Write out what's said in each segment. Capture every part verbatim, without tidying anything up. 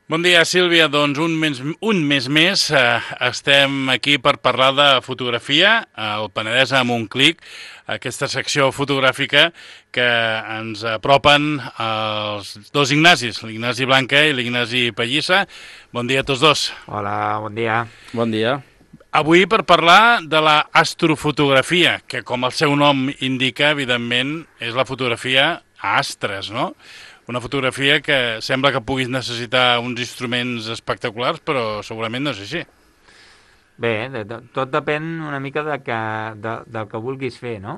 Bon dia, Sílvia. Doncs un mes, un mes més eh, estem aquí per parlar de fotografia al Penedès amb un clic, aquesta secció fotogràfica que ens apropen els dos Ignacis, l'Ignasi Blanca i l'Ignasi Pallissa. Bon dia a tots dos. Hola, bon dia. Bon dia. Avui per parlar de la astrofotografia, que com el seu nom indica, evidentment, és la fotografia a astres, no? Una fotografia que sembla que puguis necessitar uns instruments espectaculars, però segurament no és així. Bé, de, de, tot depèn una mica de que, de, del que vulguis fer, no?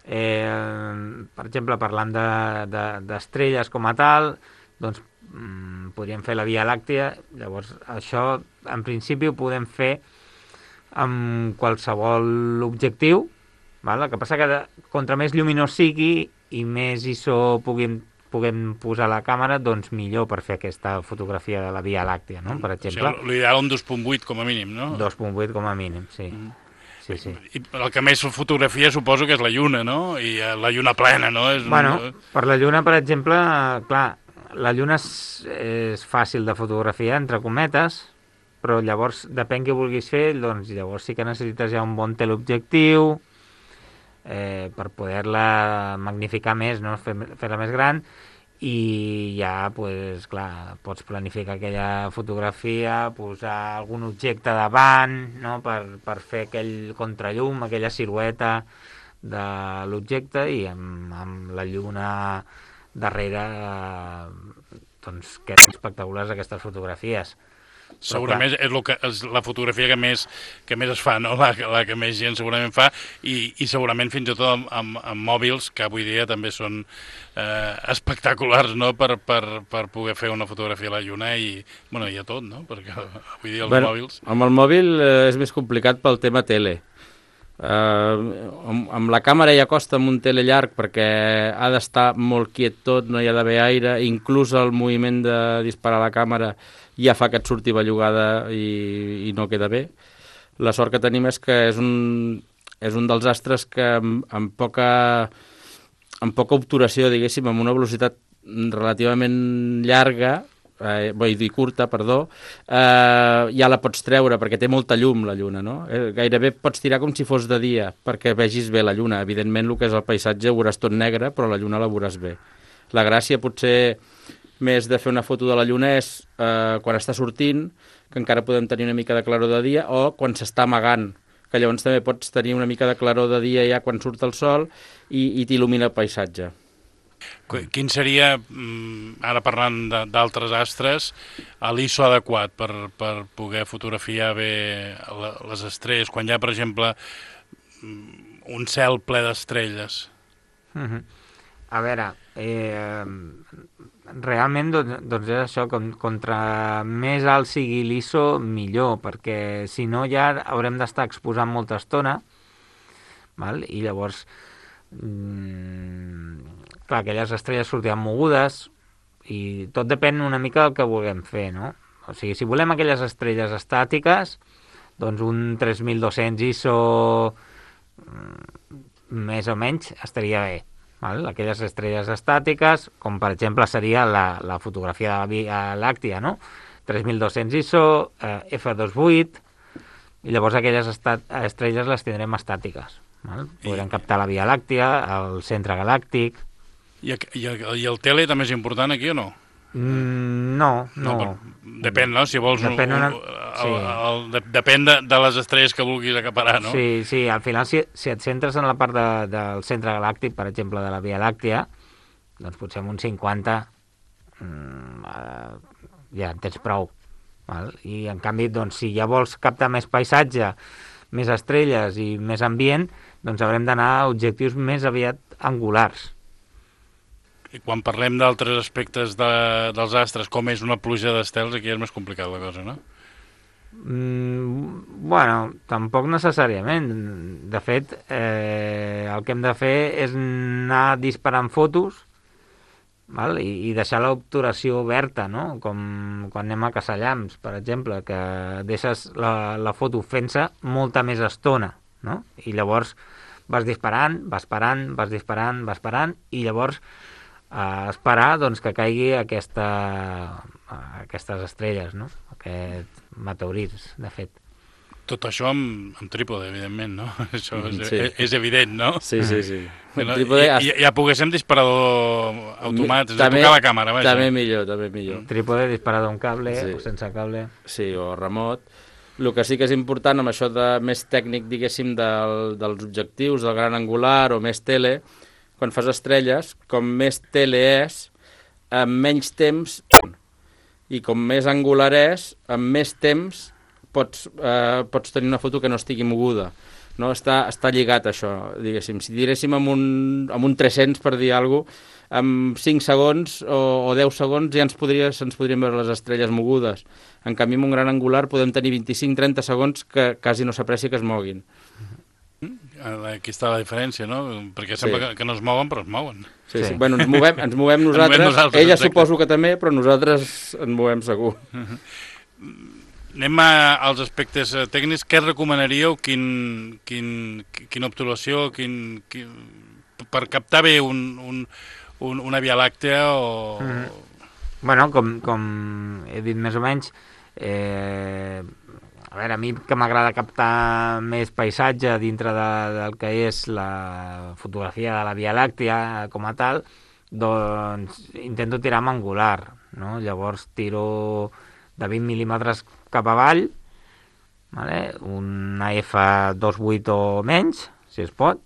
Eh, per exemple, parlant d'estrelles de, de, com a tal, doncs mm, podríem fer la Via Làctia. Llavors, això en principi ho podem fer amb qualsevol objectiu, val? El que passa que de, contra més lluminós sigui i més I S O puguem puguem posar la càmera, doncs millor per fer aquesta fotografia de la Via Làctia, no? Per exemple. O sigui, l'ideal un dos punt vuit com a mínim, no? dos punt vuit com a mínim, sí. Mm. Sí, sí. I el que més fotografia suposo que és la lluna, no? I la lluna plena, no? És bueno, un... per la lluna, per exemple, clar, la lluna és, és fàcil de fotografiar, entre cometes, però llavors, depèn què vulguis fer, doncs llavors sí que necessites ja un bon teleobjectiu eh, per poder-la magnificar més, no? Fer-la fer més gran, i ja, pues, clar, pots planificar aquella fotografia, posar algun objecte davant, no? per, per fer aquell contrallum, aquella silueta de l'objecte, i amb, amb la lluna darrere eh, doncs queden espectaculars aquestes fotografies. Segurament és, lo que, és la fotografia que més, que més es fa, no? la, la que més gent segurament fa, i, i segurament fins i tot amb, amb, amb mòbils, que avui dia també són eh, espectaculars, no? per, per, per poder fer una fotografia a la lluna i, bueno, i a tot, no? Perquè avui dia els bueno, mòbils... Amb el mòbil eh, és més complicat pel tema tele. Eh, amb, amb la càmera ja costa amb un tele llarg perquè ha d'estar molt quiet tot, no hi ha d'haver aire, inclús el moviment de disparar la càmera ja fa que et surti bellugada i, i no queda bé. La sort que tenim és que és un, és un dels astres que amb, amb, poca, amb poca obturació, diguéssim, amb una velocitat relativament llarga, eh, vull dir curta, perdó, eh, ja la pots treure perquè té molta llum la lluna, no? Eh, gairebé pots tirar com si fos de dia perquè vegis bé la lluna. Evidentment el que és el paisatge ho veuràs tot negre, però la lluna la veuràs bé. La gràcia potser més de fer una foto de la lluna és eh, quan està sortint, que encara podem tenir una mica de claror de dia, o quan s'està amagant, que llavors també pots tenir una mica de claror de dia ja quan surt el sol i, i t'il·lumina el paisatge. Quin seria, ara parlant d'altres astres, l'I S O adequat per, per poder fotografiar bé les estrelles, quan hi ha, per exemple, un cel ple d'estrelles? Mm-hmm. A veure, eh, realment doncs, doncs és això, com, contra més alt sigui l'I S O, millor, perquè si no ja haurem d'estar exposant molta estona, val? I llavors, mm, clar, aquelles estrelles sortiran mogudes, i tot depèn una mica del que vulguem fer, no? O sigui, si volem aquelles estrelles estàtiques, doncs un tres mil dos-cents I S O mm, més o menys estaria bé. Val? Aquelles estrelles estàtiques, com per exemple seria la, la fotografia de la Via Làctia, no? tres mil dos-cents I S O, eh, F dos point vuit, i llavors aquelles estat, estrelles les tindrem estàtiques. Val? Podrem I... captar la Via Làctia, el centre galàctic... I, i, I el tele també és important aquí o no? Mm, no, no. no depèn, no? Si vols... Depèn, un, una... el, sí. el, el, de, depèn de, de les estrelles que vulguis acaparar, no? Sí, sí, al final si, si et centres en la part de, del centre galàctic, per exemple, de la Via Làctia, doncs potser amb un cinquanta mm, eh, ja en tens prou. Val? I en canvi, doncs, si ja vols captar més paisatge, més estrelles i més ambient, doncs haurem d'anar a objectius més aviat angulars. I quan parlem d'altres aspectes de, dels astres, com és una pluja d'estels, aquí és més complicat la cosa, no? Mm, bueno, tampoc necessàriament. De fet, eh, el que hem de fer és anar disparant fotos, val? I, i deixar l'obturació oberta, no? Com quan anem a caçar llamps, per exemple, que deixes la, la foto fent-se molta més estona, no? I llavors vas disparant, vas parant, vas disparant, vas parant, i llavors a esperar doncs, que caigui aquesta, aquestes estrelles, no? Aquests meteorits, de fet. Tot això amb, amb trípode, evidentment, no? Això és, Sí. és, és evident, no? Sí, sí, sí. Que no Trípode, ja, ja, ja poguéssim disparador automàtic, és a també, tocar la càmera, vaja. també millor, també millor. Trípode disparat d'un cable Sí. o sense cable. Sí, o remot. El que sí que és important amb això de més tècnic, diguéssim, del, dels objectius, del gran angular o més tele, quan fas estrelles, com més tele és, amb menys temps, i com més angular és, amb més temps pots, eh, pots tenir una foto que no estigui moguda. No? Està, està lligat això, diguéssim. Si diréssim amb un, amb un tres-cents, per dir alguna cosa, amb cinc segons o, o deu segons ja ens podria, se'ns podrien veure les estrelles mogudes. En canvi, amb un gran angular podem tenir vint-i-cinc trenta segons que quasi no s'aprecia que es moguin. Aquí està la diferència, no? Perquè sembla Sí. que, que no es mouen, però es mouen. Sí, Sí. sí. Bueno, ens movem, ens movem nosaltres, movem nosaltres, ella exacte. suposo que també, però nosaltres ens movem segur. Anem a, als aspectes eh, tècnics. Què recomanaríeu? Quin, quin, quina obturació? Quin, quin, per captar bé un, un, un, una Via Làctea o... Mm. Bueno, com, com he dit més o menys, eh, a veure, a mi que m'agrada captar més paisatge dintre de, del que és la fotografia de la Via Làctea com a tal, doncs intento tirar amb angular, no? Llavors tiro de vint mil·límetres cap avall, vale? Una F dos coma vuit o menys, si es pot,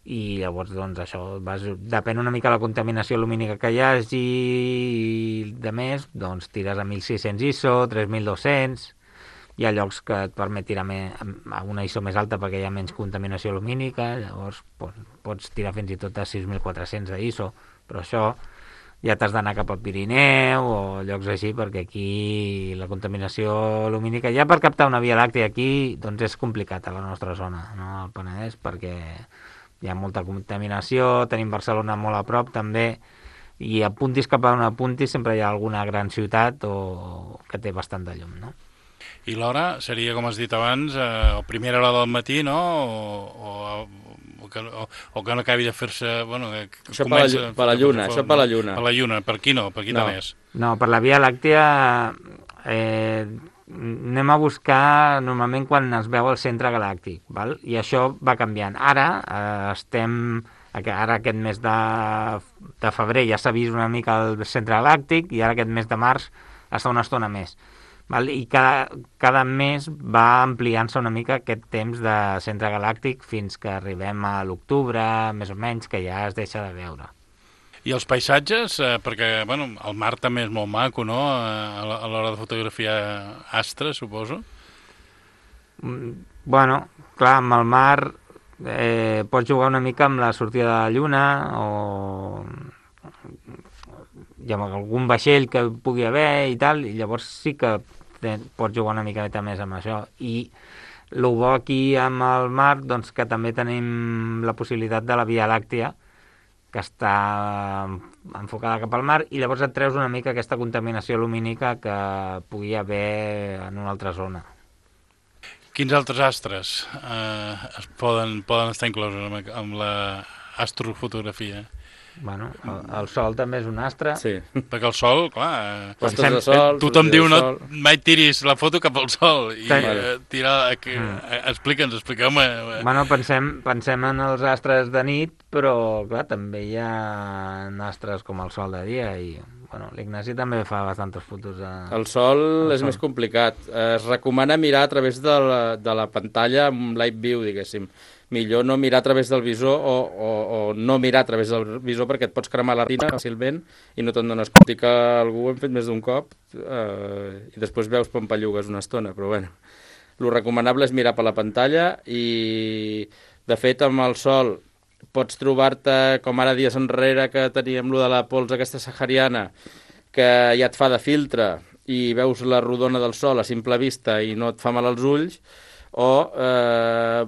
i llavors doncs això vas, depèn una mica de la contaminació lumínica que hi hagi i de més, doncs tires a mil sis-cents I S O, tres mil dos-cents, hi ha llocs que et permet tirar me, a una I S O més alta perquè hi ha menys contaminació lumínica, llavors pots, pots tirar fins i tot a sis mil quatre-cents de I S O, però això ja t'has d'anar cap al Pirineu o llocs així, perquè aquí la contaminació lumínica, ja per captar una Via Làctea aquí, doncs és complicat a la nostra zona, no? Al Penedès, perquè hi ha molta contaminació, tenim Barcelona molt a prop també, i apuntis cap a on apuntis sempre hi ha alguna gran ciutat o que té bastant de llum, no? I l'hora seria, com has dit abans, eh, a primera hora del matí, no? O, o, o, que, o, o que no acabi de fer-se... Bueno, que Això per la, llu- per la lluna, això per la lluna. Per la lluna, per aquí no, per aquí No. també és. No, per la Via Làctea eh, anem a buscar normalment quan es veu el centre galàctic, val? I això va canviant. Ara eh, estem... Ara aquest mes de, de febrer ja s'ha vist una mica el centre galàctic i ara aquest mes de març està una estona més. Val? I cada, cada mes va ampliant-se una mica aquest temps de centre galàctic fins que arribem a l'octubre, més o menys, que ja es deixa de veure. I els paisatges, eh, perquè bueno, el mar també és molt maco, no?, a a l'hora de fotografiar astres, suposo. Mm, Bueno, clar, amb el mar eh, pots jugar una mica amb la sortida de la lluna o i amb algun vaixell que pugui haver i tal, i llavors sí que te, pots jugar una miqueta més amb això. I el bo aquí amb el mar, doncs que també tenim la possibilitat de la Via Làctea, que està enfocada cap al mar, i llavors et treus una mica aquesta contaminació lumínica que pugui haver en una altra zona. Quins altres astres eh, es poden, poden estar inclosos amb, amb l'astrofotografia? Bueno, el, el sol també és un astre. Sí. Perquè el sol, clar... Postes Pensem- de sol, Tothom sortida diu, de no, sol. mai tiris la foto cap al sol. I Sí. eh, tira... Que, eh, explica'ns, expliqueu-me. Eh. Bueno, pensem, pensem en els astres de nit, però clar, també hi ha astres com el sol de dia i bueno, l'Ignasi també fa bastantes fotos a... El sol El és sol. més complicat. Es recomana mirar a través de la, de la pantalla amb live view, diguéssim. Millor no mirar a través del visor o, o, o no mirar a través del visor perquè et pots cremar la retina fàcilment i no te'n dones compte que algú ho hem fet més d'un cop eh, i després veus pampallugues una estona, però bueno. Lo recomanable és mirar per la pantalla i, de fet, amb el sol pots trobar-te, com ara dies enrere que teníem lo de la pols aquesta sahariana, que ja et fa de filtre i veus la rodona del sol a simple vista i no et fa mal als ulls, o eh,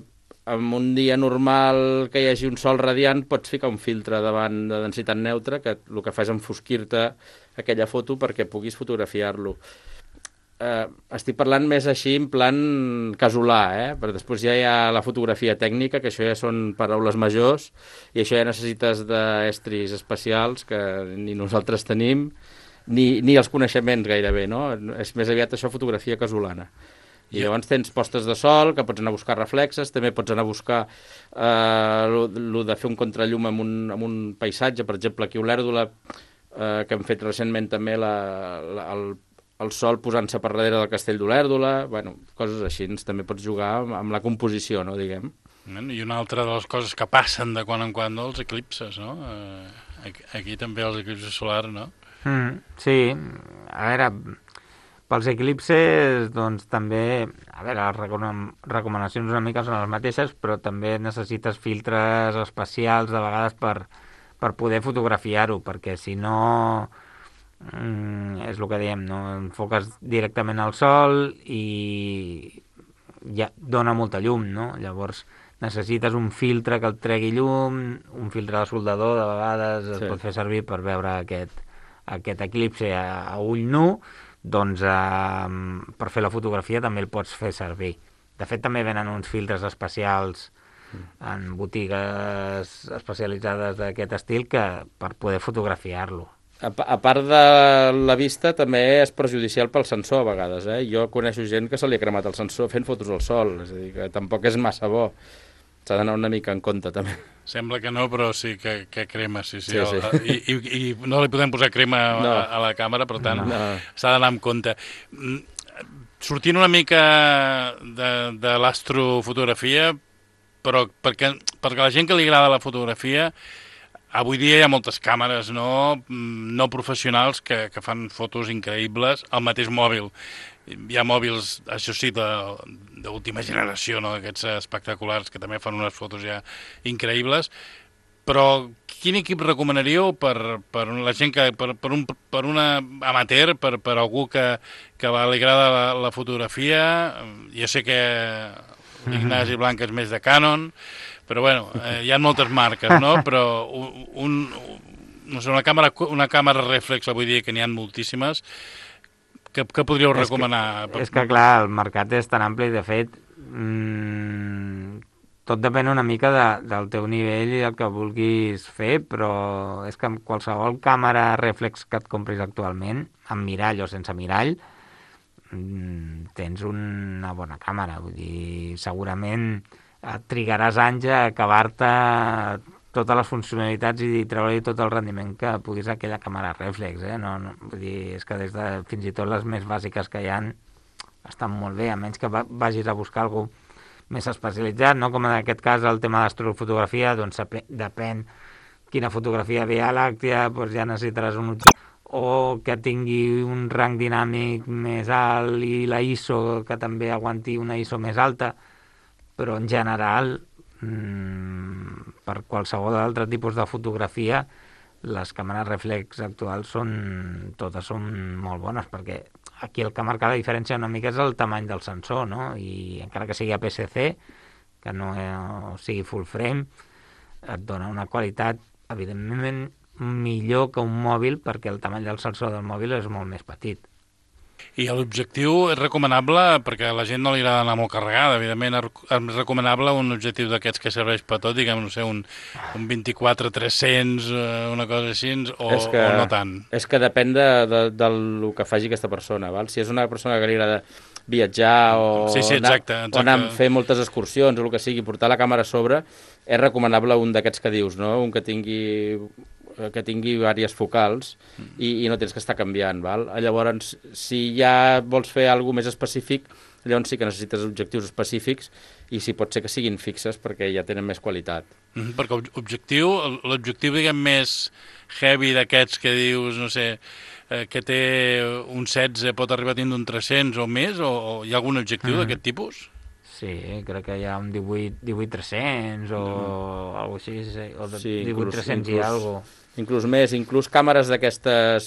en un dia normal que hi hagi un sol radiant pots ficar un filtre davant de densitat neutra que el que fa és enfosquir-te aquella foto perquè puguis fotografiar-lo. Eh, estic parlant més així en plan casolà, eh? Però després ja hi ha la fotografia tècnica, que això ja són paraules majors, i això ja necessites d'estris especials que ni nosaltres tenim, ni, ni els coneixements gairebé, no? És més aviat això fotografia casolana. I llavors tens postes de sol, que pots anar a buscar reflexes, també pots anar a buscar eh, lo de fer un contrallum amb un, amb un paisatge, per exemple, aquí a Olèrdola, eh, que hem fet recentment també la, la, el, el sol posant-se per darrere del castell d'Olèrdola, bueno, coses així, també pots jugar amb, amb la composició, no, diguem. I una altra de les coses que passen de quan en quan, no? Els eclipses, no? Eh, aquí també els eclipses solars, no? Mm, sí, a veure... Pels eclipses, doncs, també... A veure, les recomanacions una mica són les mateixes, però també necessites filtres especials, de vegades, per, per poder fotografiar-ho, perquè si no... Mm, és el que diem, no? Enfoques directament al sol i ja dona molta llum, no? Llavors necessites un filtre que el tregui llum, un filtre de soldador, de vegades es sí. pot fer servir per veure aquest, aquest eclipse a, a ull nu, doncs eh, per fer la fotografia també el pots fer servir. De fet, també venen uns filtres especials en botigues especialitzades d'aquest estil que per poder fotografiar-lo. A, a part de la vista, també és perjudicial pel sensor a vegades. Eh? Jo coneixo gent que se li ha cremat el sensor fent fotos al sol, és a dir, que tampoc és massa bo. S'ha d'anar una mica en compte, també. Sembla que no, però sí que, que crema, sí, sí. sí, sí. El, i, i, I no li podem posar crema no. a, a la càmera, per tant, no. s'ha d'anar amb compte. Sortint una mica de, de l'astrofotografia, però perquè, perquè la gent que li agrada la fotografia, avui dia hi ha moltes càmeres no, no professionals que, que fan fotos increïbles al mateix mòbil. Hi ha mòbils, això sí, d'última generació, no? Aquests espectaculars que també fan unes fotos ja increïbles, però quin equip recomanaríeu per, per la gent que, per, per, un, per una amateur, per, per algú que, que li agrada la, la fotografia? Jo sé que l'Ignasi Blanca és més de Canon, però bueno, eh, hi ha moltes marques, no? Però un, no sé, una càmera, una càmera reflex, avui dia que n'hi ha moltíssimes. Què, què podríeu és recomanar? Que, és que, clar, el mercat és tan ampli, de fet, mmm, tot depèn una mica de, del teu nivell i el que vulguis fer, però és que amb qualsevol càmera reflex que et compris actualment, amb mirall o sense mirall, mmm, tens una bona càmera. Vull dir, segurament et trigaràs anys a acabar-te totes les funcionalitats i treure-hi tot el rendiment que puguis a aquella càmera reflex, eh? No, no, vull dir, és que des de fins i tot les més bàsiques que hi ha estan molt bé, a menys que vagis a buscar alguna més especialitzat, no? Com en aquest cas el tema d'astrofotografia, doncs depèn quina fotografia Via Làctea, doncs ja necessitaràs un objectiu o que tingui un rang dinàmic més alt i la I S O que també aguanti una I S O més alta, però en general per qualsevol altre tipus de fotografia les càmeres reflex actuals són totes són molt bones, perquè aquí el que marca la diferència una mica és el tamany del sensor, no? I encara que sigui A P S C, que no sigui full frame, et dona una qualitat evidentment millor que un mòbil, perquè el tamany del sensor del mòbil és molt més petit. I l'objectiu és recomanable, perquè a la gent no li agrada anar molt carregada, evidentment és recomanable un objectiu d'aquests que serveix per tot, diguem, no sé, un, un vint-i-quatre tres-cents, una cosa així, o, que, o no tant? És que depèn de, de, del que faci aquesta persona, val? Si és una persona que li agrada viatjar o, sí, sí, exacte, anar, exacte. o anar a fer moltes excursions o el que sigui, portar la càmera a sobre, és recomanable un d'aquests que dius, no? Un que tingui... que tingui diverses focals i, i no tens que estar canviant, val? Llavors, si ja vols fer alguna més específic, llavors sí que necessites objectius específics i si pot ser que siguin fixes perquè ja tenen més qualitat. Mm, perquè objectiu, l'objectiu, diguem, més heavy d'aquests que dius, no sé, eh, que té un setze, pot arribar a tindre un tres-cents o més, o, o hi ha algun objectiu mm. d'aquest tipus? Sí, crec que hi ha un divuit tres-cents o mm. alguna cosa així, o de sí, divuit tres-cents i alguna cosa. Inclús més, inclús càmeres d'aquestes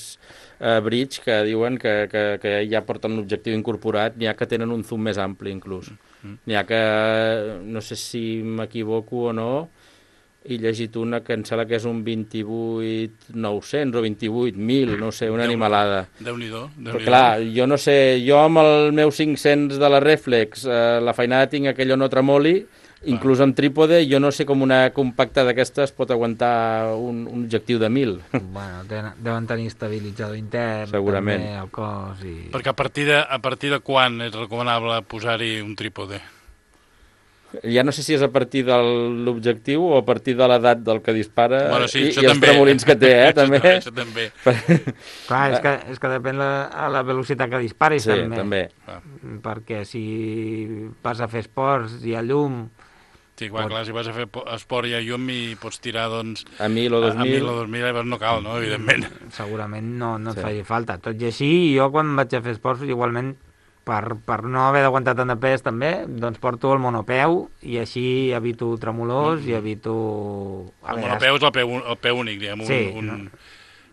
eh, bridge que diuen que, que, que ja porten un objectiu incorporat, n'hi ha que tenen un zoom més ampli inclús. Mm. N'hi ha que, no sé si m'equivoco o no, he llegit una que em sembla que és un vint-i-vuit nou-cents o vint-i-vuit mil, no sé, una Déu, animalada. Déu-n'hi-do. Déu Però clar, jo no sé, jo amb el meu cinc-cents de la reflex, eh, la feinada tinc aquell no tremoli, Inclús amb trípode, jo no sé com una compacta d'aquestes pot aguantar un, un objectiu de mil. Bueno, tenen, deuen tenir estabilitzador intern, Segurament. també, el cos i... Perquè a partir de, a partir de quan és recomanable posar-hi un trípode? Ja no sé si és a partir de l'objectiu o a partir de l'edat del que dispara Bueno, sí, i, això i els també. tremolins que té, eh, també. Això també. Clar, és que, és que depèn la, a la velocitat que disparis, Sí, també. també. Ah. Perquè si vas a fer esports i a llum... Sí, clar, clar, si vas a fer po- esport i a llum i pots tirar, doncs... A mil o dos A, a mil. mil o dos mil, llavors no cal, no?, evidentment. Segurament no, no et Sí. faci falta. Tot i així, jo quan vaig a fer esports, igualment, per, per no haver d'aguantar tant de pes també, doncs porto el monopeu i així evito tremolors i evito... A El vegades- monopeu és el peu, el peu únic, diguem, un, Sí, un, no?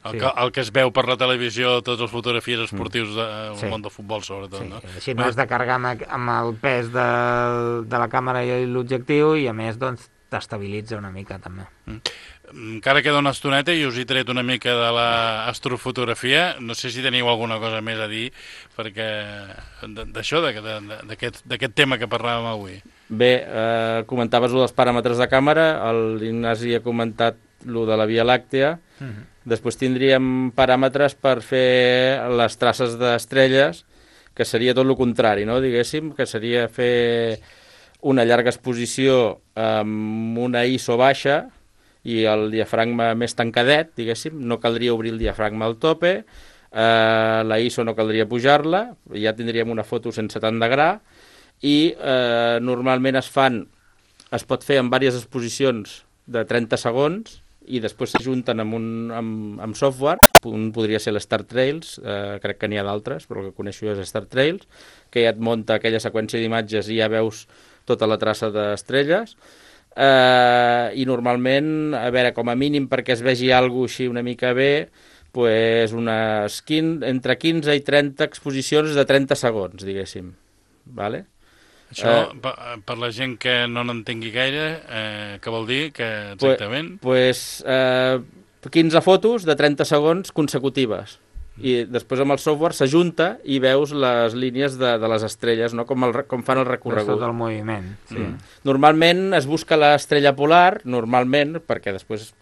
el, Sí. que, el que es veu per la televisió, totes les fotografies esportius del Sí. món del futbol, sobretot, Sí, no? així no has de carregar amb, amb el pes de, de la càmera i l'objectiu i a més doncs t'estabilitza una mica també. Encara queda una estoneta i us he tret una mica de l'astrofotografia. No sé si teniu alguna cosa més a dir perquè d'això, d'aquest tema que parlàvem avui. Bé, eh, comentaves lo dels paràmetres de càmera, l'Ignasi ha comentat lo de la Via Làctea, Uh -huh. després tindríem paràmetres per fer les traces d'estrelles, que seria tot el contrari, no? Diguéssim, que seria fer una llarga exposició amb una I S O baixa i el diafragma més tancadet, diguéssim, no caldria obrir el diafragma al tope, eh, la I S O no caldria pujar-la, ja tindríem una foto sense tant de gra, i eh, normalment es fan, es pot fer en diverses exposicions de trenta segons i després s'ajunten amb, un, amb, amb software. Un podria ser l'Star Trails, eh, crec que n'hi ha d'altres, però el que coneixo és Star Trails, que ja et munta aquella seqüència d'imatges i ja veus tota la traça d'estrelles. Eh, I normalment, a veure, com a mínim perquè es vegi alguna cosa així una mica bé, pues unes quinze, entre quinze i trenta exposicions de trenta segons, diguéssim. Vale? Això, Eh, per, per la gent que no n'entengui gaire, eh, què vol dir? Que exactament? Pues, eh, quinze fotos de trenta segons consecutives. I després amb el software s'ajunta i veus les línies de, de les estrelles, no? com, el, re- com fan el Veus recorregut. tot el moviment. Sí. Mm. Normalment es busca l'estrella polar, normalment, perquè després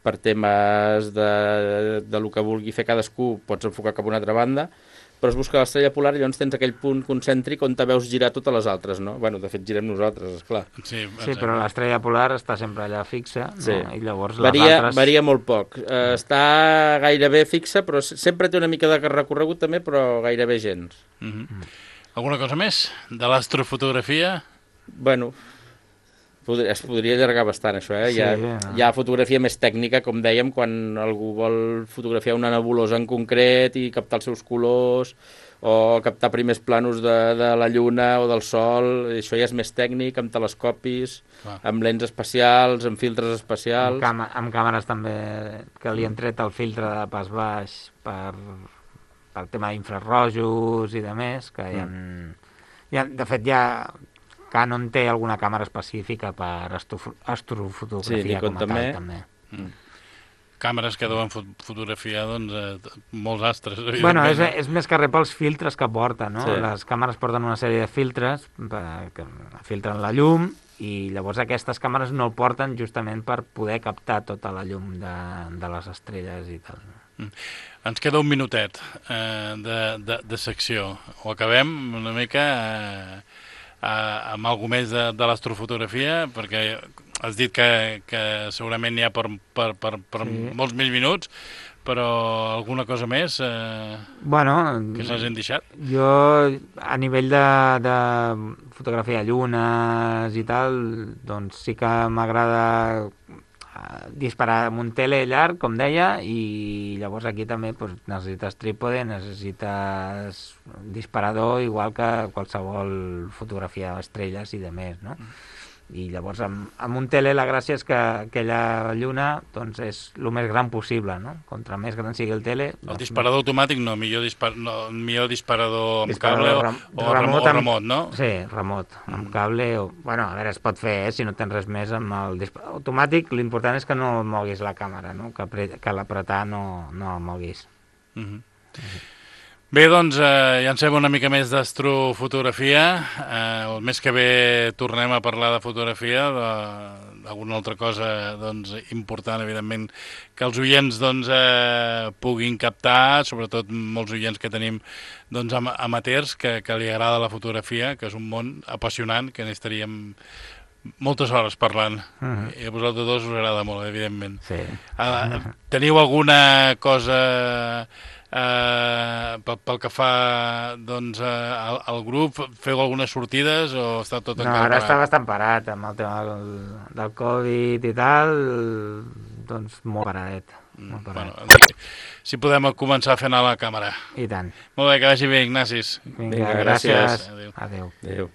per temes de, de lo que vulgui fer cadascú pots enfocar cap a una altra banda, però es busca l'estrella polar i llavors tens aquell punt concèntric on te veus girar totes les altres, no? Bueno, de fet girem nosaltres, esclar. Sí, Sí, però l'estrella polar està sempre allà fixa, no? Sí. I llavors les Varia, altres... varia molt poc. Eh, està gairebé fixa, però s- sempre té una mica de recorregut també, però gairebé gens. Uh -huh. Alguna cosa més de l'astrofotografia? Bueno, pod es podria allargar bastant, això, eh? Sí, hi, ha, no. hi ha fotografia més tècnica, com dèiem, quan algú vol fotografiar una nebulosa en concret i captar els seus colors, o captar primers planos de, de la lluna o del sol, això ja és més tècnic, amb telescopis, Clar. amb lents especials, amb filtres Amb, especials... càme amb càmeres també que li han tret el filtre de pas baix per, per tema d'infrarrojos i de més, que hi ha, hi ha, de fet ja Canon té alguna càmera específica per astro astrofotografia Sí, Nikon com a també. tal, també. Mm. Càmeres que deuen fot fotografiar doncs, eh, molts astres. Bueno, és, evidentment, és més que res pels filtres que porta, no? Sí. Les càmeres porten una sèrie de filtres per- que filtren la llum i llavors aquestes càmeres no el porten justament per poder captar tota la llum de, de les estrelles i tal. Ens queda un minutet eh, de, de, de secció. Ho acabem una mica eh, eh, amb alguna més de, de l'astrofotografia, perquè has dit que, que segurament n'hi ha per, per, per, per Sí. molts més minuts, però alguna cosa més eh, Bueno, que s'hagin deixat? jo a nivell de, de fotografia de llunes i tal, doncs sí que m'agrada eh, disparar amb un tele llarg, com deia, i llavors aquí també doncs, necessites trípode, necessites disparador, igual que qualsevol fotografia d'estrelles i de més, no? I llavors amb, amb un tele la gràcia és que aquella lluna doncs, és el més gran possible, no? Contra més gran sigui el tele... El doncs, disparador automàtic no, millor, dispar no, millor disparador amb Disparador cable o, rem- o remot, amb- remot, no? Sí, remot, amb cable o... Bueno, a veure, es pot fer, eh, si no tens res més amb el disparador automàtic, l'important és que no moguis la càmera, no? Que, apre- que l'apretar no, no el moguis. Uh -huh. Bé, doncs, eh, ja en sabem una mica més d'astrofotografia. Eh, el mes que ve tornem a parlar de fotografia, d'alguna altra cosa doncs, important, evidentment, que els oients doncs, eh, puguin captar, sobretot molts oients que tenim doncs, am amateurs, que, que li agrada la fotografia, que és un món apassionant, que n'estaríem moltes hores parlant. Uh -huh. I a vosaltres dos us agrada molt, evidentment. Sí. Eh, teniu alguna cosa... Uh, pel, pel que fa doncs, uh, al, al grup, feu algunes sortides o està tot no, encara ara parat? està bastant parat amb el tema del, del Covid i tal, doncs molt paradet, molt parat. Bueno, si podem començar a fer anar la càmera. I tant. Molt bé, que vagi bé, Ignacis. Vinga, Vinga, gràcies. gràcies. Adéu. Adéu. Adéu.